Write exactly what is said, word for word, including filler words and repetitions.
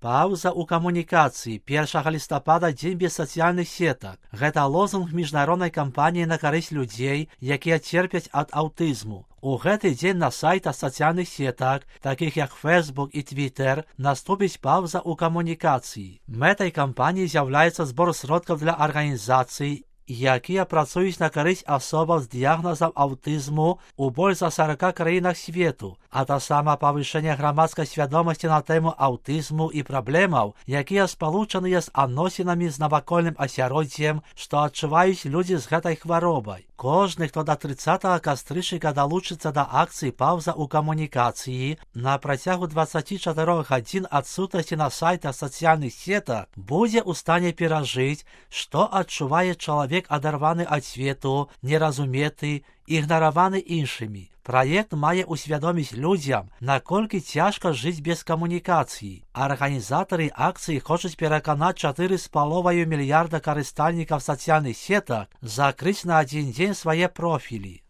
Паўза ў камунікацыі. першага лістапада дзень без сацыяльных сетак. Гэта лозунг міжнароднай кампаніі на карысць людзей, якія церпяць ад аўтызму. У гэты дзень на сайтах сацыяльных сетак, такіх як Facebook і Twitter, наступіць паўза ў камунікацыі. Мэтай кампаніі з'яўляецца збор сродкаў для арганізацый, якія працуюць на карысць асобам з дыягназам аўтызму ў больш за сарака краінах свету, а таксама павышэнне грамадскай свядомасці на тэму аўтызму і праблемаў, якія спалучаныя з адносінамі з навакольным асяроддзем, што адчуваюць людзі з гэтай хваробай. Кожны, хто да трыццатага кастрычніка далучыцца да акцыі «Паўза ў камунікацыі» на працягу дваццаці чатырох гадзін адсутнасці на сайтах сацыяльных сетак, будзе ў стане перажыць, што адчувае чалавек адарваны ад свету, неразуметы, ігнараваны іншымі. Праект мае усвядоміць людзям, наколькі цяжка жыць без камунікацыі. Арганізатары акцыі хочуць пераканаць чатыры з паловаю мільярда карыстальнікаў сацыяльных сетак закрыць на адзін дзень свае профілі.